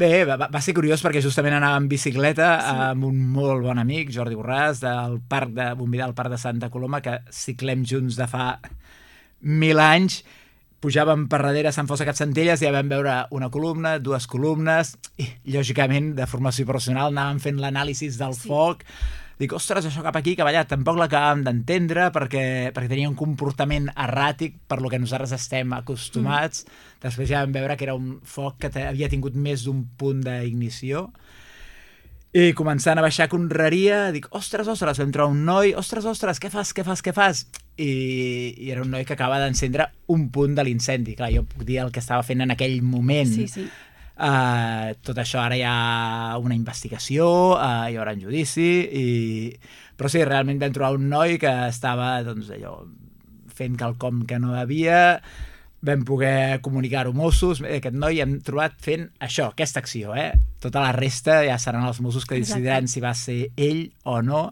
Bé, va ser curiós perquè justament anava en bicicleta amb un molt bon amic, Jordi Borràs, del parc de Bombidà, al parc de Santa Coloma, que ciclem junts de fa 1000 anys. Pujàvem per darrere a Sant Fost de Capcentelles i ja vam veure una columna, 2 columnes, i lògicament de formació professional anàvem fent l'anàlisi del foc. Dic, ostres, això cap aquí, cap allà, tampoc l'acabàvem d'entendre perquè tenia un comportament erràtic per lo que nosaltres estem acostumats. Després ja vam veure que era un foc que havia tingut més d'un punt d'ignició. I començant a baixar conreria, dic, ostres, vam trobar un noi, ostres, què fas? I era un noi que acaba d'encendre un punt de l'incendi. Clar, jo puc dir el que estava fent en aquell moment. Sí. Tot això ara hi ha una investigació, hi haurà un judici, però sí, realment vam trobar un noi que estava fent quelcom que no devia. Vam poder comunicar-ho a Mossos. Aquest noi hem trobat fent això, aquesta acció. Tota la resta ja seran els Mossos que decidiran si va ser ell o no.